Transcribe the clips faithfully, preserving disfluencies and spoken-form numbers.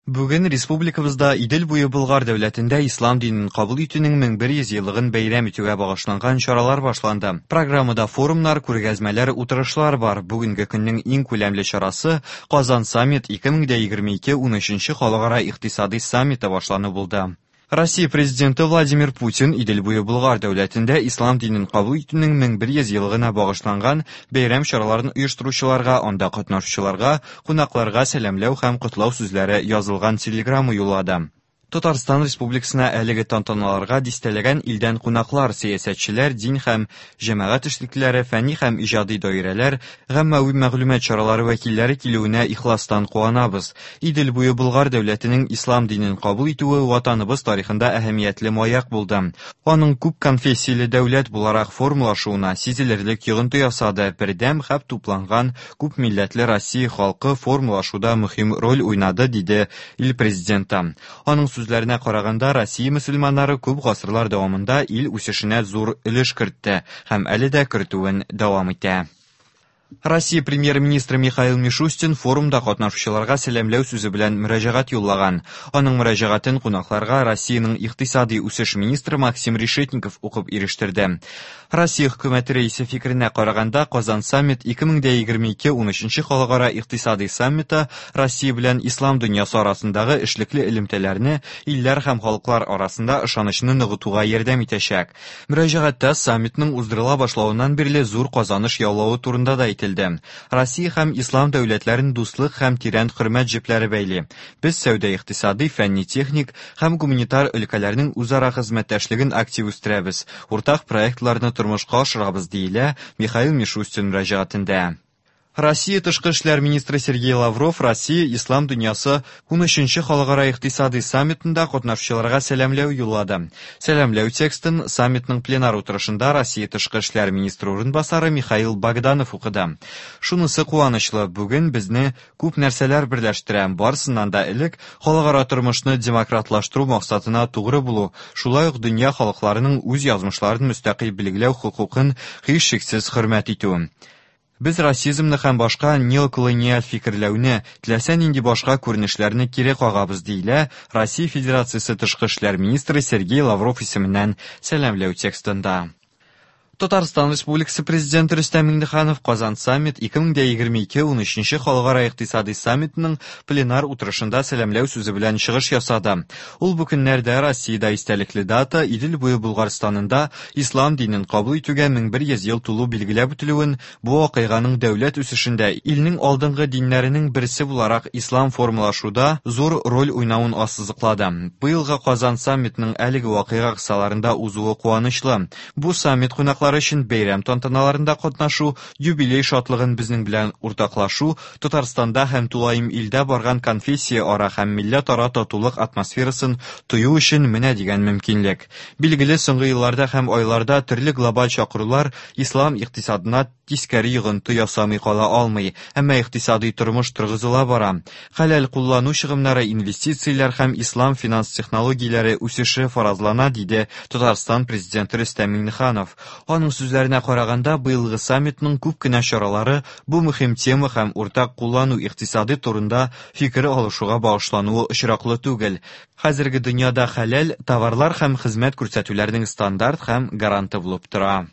Бүген республикабызда Идел буе Болгар дәүләтендә ислам динен кабул итүнең мең бер йөз еллыгын бәйрәм итүгә багышланган чаралар башланды. Программада форумнар, күргәзмәләр, утырышлар бар. Бүгенге көннең иң күләмле чарасы Казан саммит ике мең дә егерме ике унөченче халыкара икътисади саммиты башлану булды. Россия президенты Владимир Путин Идел буе Болгар дәүләтендә ислам динен кабул итүнең мең бер йөз еллыгына багышланган бәйрәм чараларын оештыручыларга, анда катнашучыларга, кунакларга сәламләү һәм котлау сүзләре язылган телеграмма юллады. Татарстан Республикасына әлеге тантаналарга дистәләгән илдән кунаклар, сәясәтчеләр, дин һәм җәмәгать эшлеклеләре, фәнни һәм иҗади даирәләр, гаммәви мәгълүмат чаралары вәкилләре килүенә ихластан куанабыз. Идел буе Болгар дәүләтенең ислам динен кабул итүе ватаныбыз тарихында әһәмиятле маяк булды. Аның күп конфессияле дәүләт буларак формалашуына сизелерлек йогынты ясады. Бердәм һәм тупланган күп милләтле Россия халкы формалашуда мөһим роль уйнады, диде ил президенты. Аның сүзләренә караганда, Россия мөселманнары күп гасырлар дәвамында ил үсешенә зур өлеш кертте һәм әле дә кертүен дәвам итә. Россия премьер-министры Михаил Мишустин форумда катнашучыларга сәламләү сүзе белән мөрәҗәгать юллаган. Аның мөрәҗәгатен кунакларга Россиянең икътисади үсеш министры Максим Решетников укып ирештерде. Россия хөкүмәте рәисе фикеренә караганда, Казан саммит ике мең дә егерме ике унөченче халыкара икътисади саммиты Россия белән ислам дөньясы арасындагы эшлекле элемтәләрне илләр һәм халыклар арасында ышанычны ныгытуга ярдәм итәчәк. Мөрәҗәгатьтә саммитның уздырыла башлавыннан бирле зур казаныш яулавы турында да әйтелде. Россия һәм ислам дәүләтләрен дуслык һәм тирән хөрмәт җепләре бәйли. Без сәүдә икътисади, фәнни-техник һәм гуманитар өлкәләрнең үзара хезмәттәшлеген актив үстерәбез. Уртак проектларны тормышка ашырабыз, диелә Михаил Мишустин мөрәҗәгатендә. Россия тышкы эшләр министры Сергей Лавров Россия ислам дөньясы унөченче халыкара икътисади саммитында катнашучыларга сәламләү юллады. Сәламләү текстын саммитның пленар утырышында Россия тышкы эшләр министры урынбасары Михаил Богданов укыды. Шунысы куанычлы, бүген безне күп нәрсәләр берләштерә. Барысыннан да элек халыкара тормышны демократлаштыру максатына тугры булу, шулай ук дөнья халыкларының үз язмышларын мөстәкыйль билгеләү хокукын һичшиксез хөрмәт итү. Без расизмны һәм башка неоколониаль фикерләүне, теләсә нинди башка күренешләрне кире кагабыз, диелә Россия Федерациясе тышкы эшләр министры Сергей Лавров исеменнән сәламләү текстында. Татарстан Республикасы президенты Рөстәм Миңнеханов Казан саммит ике мең дә егерме ике унөченче халыкара икътисади саммитының пленар утырышында сәламләү сүзе белән чыгыш ясады. Ул бу көннәрдә Россиядә истәлекле дата Идел буе Булгарстанында ислам динен кабул итүгә мең бер йөз ел тулу билгеләп үтелүен, бу вакыйганың дәүләт үсешендә илнең алдынгы диннәренең берсе буларак ислам формалашуда зур роль уйнавын ассызыклады. Быелгы Казан саммитының әлеге вакыйга кысаларында узуы куанычлы. Бу саммит кунаклары өчен бәйрәм тантаналарында катнашу, юбилей шатлыгын безнең белән уртаклашу, Татарстанда һәм тулаем илдә барган конфессия ара һәм милләт ара татулык атмосферасын тою өчен менә дигән мөмкинлек. Билгеле, соңгы елларда һәм айларда төрле глобаль чакырулар ислам икътисадына тискәре йогынты ясамый кала алмый, әмма икътисади тормыш торгызыла бара. Хәләл куллану чыгымнары, инвестицияләр һәм ислам финанс технологияләре үсеше фаразлана, диде Татарстан президенты Рөстәм Миңнеханов. Аның сүзләренә караганда, быелгы саммитның күп кенә чаралары бу мөһим тема һәм уртак куллану икътисады турында фикер алышуга багышлануы очраклы түгел. Хәзерге дөньяда хәләл товарлар һәм хезмәт күрсәтүләрнең стандарт һәм гаранты булып тора.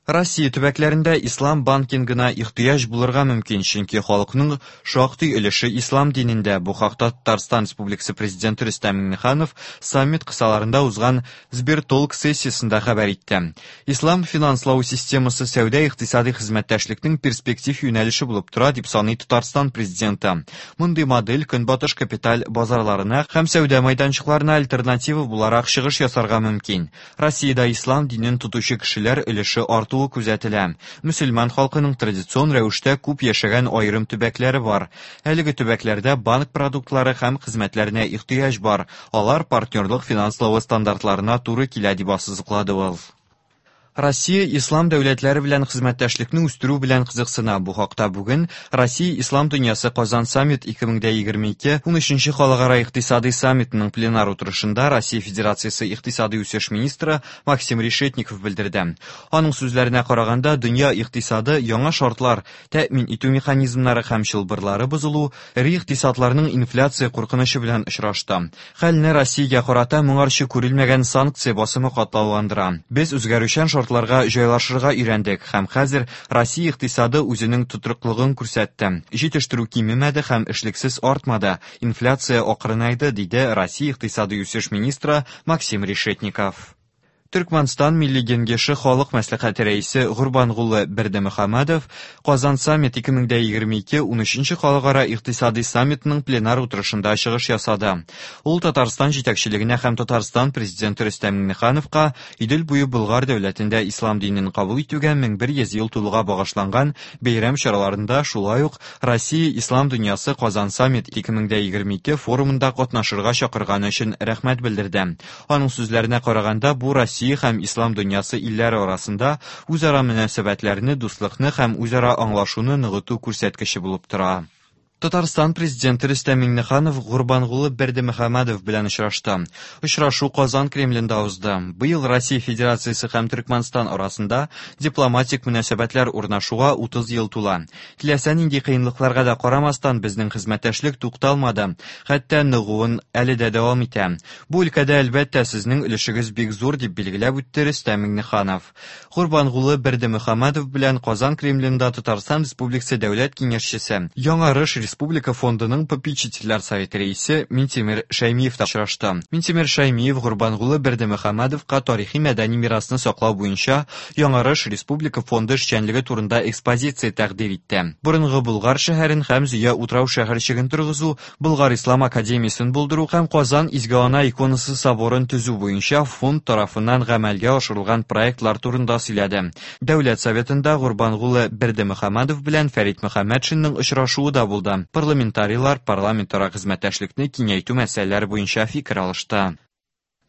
Россия төбәкләрендә ислам банкингына ихтыяҗ булырга мөмкин, чөнки халыкның шактый өлеше ислам динендә. Бу хакта Татарстан Республикасы президенты Рөстәм Миңнеханов саммит кысаларында узган Сбертолк сессиясендә хәбәр итте. Ислам финанслау системасы сәүдә икътисади хезмәттәшлекнең перспектив юнәлеше булып тора, дип саный Татарстан президенты. Мондый модель көнбатыш капиталь базарларына һәм сәүдә мәйданчыкларына альтернатива буларак чыгыш ясарга мөмкин. Россиядә ислам динен тотучы кешеләр өлеше арту күзәтелә. Мөселман халкының традицион рәвештә күп яшәгән аерым төбәкләре бар. Әлеге төбәкләрдә банк продуктлары һәм хезмәтләренә ихтыяҗ бар. Алар партнерлык финанславы стандартларына туры килә, дип ассызыклады ул. Россия ислам дәүләтләре белән хезмәттәшлекне үстерү белән кызыксына. Бу хакта бүген Россия ислам дөньясы Казан саммит ике мең егерме ике унөченче халыкара икътисади саммитының пленар утырышында Россия Федерациясе икътисади үсеш министры Максим Решетников белдерде. Аның сүзләренә караганда, дөнья икътисады яңа шартлар, тәэмин итү механизмнары һәм чылбырлары бозылу, эре икътисадларның инфляция куркынычы белән очрашты. Хәлне Россиягә карата моңарчы күрелмәгән санкция басымы катлауландыра. Без үзгәрүчән шартларга җайлашырга өйрәндек һәм хәзер Россия икътисады үзенең тотрыклыгын күрсәтте. Җитештерү кимемәде һәм эшлексез артмады. Инфляция акрынайды, диде Россия икътисади үсеш министры Максим Решетников. Төркмәнстан Милли Кеңеше Халык Мәслихәте рәисе Гурбангулы Бердымөхәммәдов Казан саммит ике мең егерме ике унөченче халыкара икътисади саммитының пленар утырышында чыгыш ясады. Ул Татарстан җитәкчелегенә һәм Татарстан президенты Рөстәм Миңнехановка Идел буе Болгар дәүләтендә ислам динен кабул итүгә мең бер йөз ел тулуга багышланган бәйрәм чараларында шулай ук Россия ислам дөньясы Казан саммит ике мең егерме ике форумында катнашырга чакырганы өчен рәхмәт белдерде. Аның сүзләренә караганда, бу Россия һәм ислам дөньясы илләре арасында үзара мөнәсәбәтләрне, дуслыкны һәм үзара аңлашуны ныгыту күрсәткече булып тора. Татарстан президенты Рөстәм Миңнеханов Гурбангулы Бердымөхәммәдов белән очрашты. Очрашу Казан Кремлендә узды. Быел Россия Федерациясе һәм Төркмәнстан арасында дипломатик мөнәсәбәтләр урнашуга утыз ел тула. Теләсә нинди кыенлыкларга да карамастан, безнең хезмәттәшлек тукталмады, хәтта ныгуын әле дә дәвам итә. Бу өлкәдә әлбәттә сезнең өлешегез бик зур, дип билгеләп үтте Рөстәм Миңнеханов. Гурбангулы Бердымөхәммәдов белән Казан Кремлендә Татарстан Республикасы Дәүләт Киңәшчесе, Яңарыш Республика фондының попечительләр советы рәисе Минтимер Шәймиев та очрашты. Минтимер Шәймиев Гурбангулы Бердымөхәммәдовка тарихи мәдәни мирасны саклау буенча Яңарыш Республика фонды эшчәнлеге турында экспозиция тәкъдир итте. Борынгы Болгар шәһәрен һәм Зөя утрау шәһәрчеген торгызу, Болгар Ислам академиясен булдыру һәм Казан Изге Ана иконасы соборын төзү буенча фонд тарафыннан гамәлгә ашырылган проектлар турында сөйләде. Дәүләт советында Гурбангулы Бердымөхәммәдов белән Фәрит Мөхәммәтшинның очрашуы да булды. Парламентарийлар парламентара хезмәттәшлекне киңәйтү мәсьәләләре буенча фикер алышты.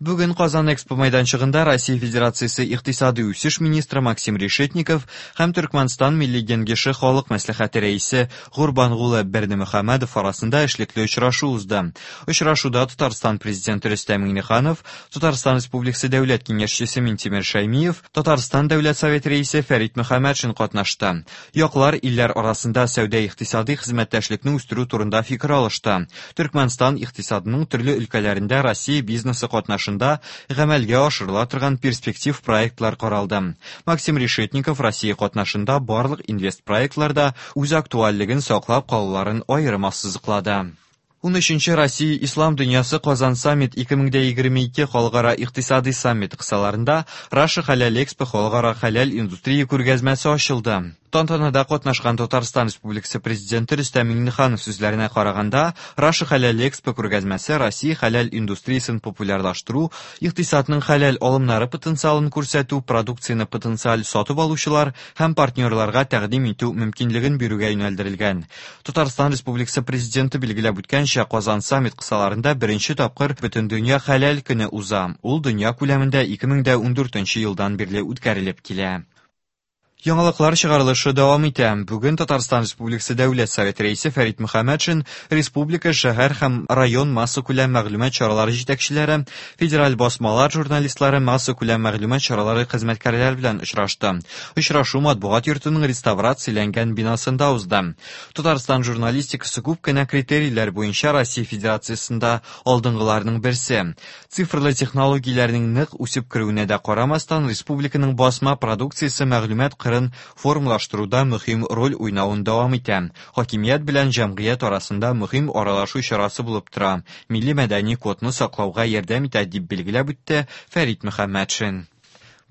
Бүген Казан Экспо майданчыгында Россия Федерациясе икътисади үсеш министры Максим Решетников һәм Төркмәнстан Милли Кеңеше Халык Мәслихәте рәисе Гурбангулы Бердымөхәммәдов арасында эшлекле очрашу узды. Очрашуда Татарстан президенты Рөстәм Миңнеханов, Татарстан Республикасы Дәүләт Киңәшчесе Минтимер Шәймиев, Татарстан Дәүләт Советы рәисе Фәрит Мөхәммәтшин катнашты. Яклар илләр арасында сәүдә-икътисади хезмәттәшлекне үстерү турында фикер алышты. Төркмәнстан икътисадының төрле өлкәләрендә Россия бизнесы катнашында гамәлгә ашырыла торган перспектив проектлар каралды. Максим Решетников Россия катнашында барлык инвест проектларда үз актуальлеген саклап калуларын аерым ассызыклады. Унөченче Россия Ислам дөньясы Казан саммит ике мең егерме ике халыкара икътисади саммит кысаларында Раша Халал Экспо халыкара халал индустрия күргәзмәсе ачылды. Тантанада катнашкан Татарстан Республикасы президенты Рөстәм Миңнеханов сүзләренә караганда, Раша Халал Экспо күргәзмәсе Россия халал индустриясен популярлаштыру, икътисадның халал алымнары потенциалын күрсәтү, продукцияне потенциаль сатып алучылар һәм партнерларга тәкъдим итү мөмкинлеген бирүгә юнәлдерелгән. Татарстан Республикасы президенты билгеләп үткәнчә, Казан саммит кысаларында беренче тапкыр Бөтендөнья халал көне уза. Ул дөнья күләмендә ике мең ундүртенче елдан бирле үткәрелеп килә. Яңалыклар чыгарылышы дәвам итә. Бүген Татарстан Республикасы Дәүләт Советы рәисе Фәрит Мөхәммәтшин республика, шәһәр һәм район массакүләм мәгълүмат чаралары җитәкчеләре, федераль басмалар журналистлары, массакүләм мәгълүмат чаралары хезмәткәрләре белән очрашты. Очрашу матбугат йортының реставрацияләнгән бинасында узды. Татарстан журналистикасы күп кенә критерийлар буенча Россия Федерациясендә алдынгыларның берсе. Цифрлы технологияләрнең нык үсеп керүенә дә карамастан, республиканың басма продукциясе мәгълүмат формалаштыруда мөһим роль уйнавын дәвам итә. Хакимият белән җәмгыять арасында мөһим аралашу чарасы булып тора. Милли мәдәни кодны саклауга ярдәм итә, дип билгеләп үтте Фәрит Мөхәммәтшин.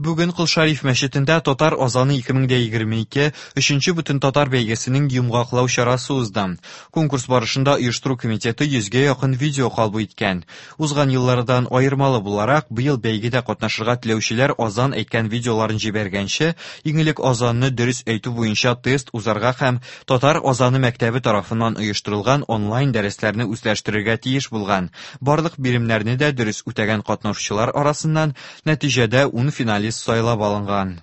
Бүген Кол Шариф мәчетендә Татар азаны ике мең егерме ике өченче бөтен татар бәйгесенең йомгаклау чарасы узды. Конкурс барышында оештыру комитеты йөзгә якын видео кабул иткән. Узган еллардан аермалы буларак, быел бәйгедә катнашырга теләүчеләр азан әйткән видеоларын җибәргәнче, иң элек азанны дөрес әйтү буенча тест узарга һәм Татар азаны мәктәбе тарафыннан оештырылган онлайн дәресләрне үзләштерергә тиеш булган. Барлык биремнәрне дә дөрес үтәгән катнашучылар арасыннан нәтиҗәдә ун финалист журналист сайлап алынган.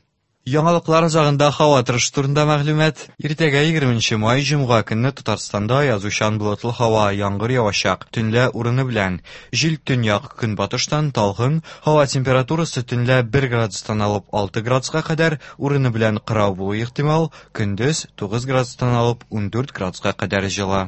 Яңалыклар азагында һава торышы турында мәгълүмат. Иртәгә егерменче май җомга көнне Татарстанда аязучан болытлы һава, яңгыр явачак, төнлә урыны белән. Җил төньяк көнбатыштан талгын, һава температурасы төнлә бер градустан алып алты градуска кадәр, урыны белән кырау булуы ихтимал, көндез тугыз градустан алып ундүрт градуска кадәр җылы.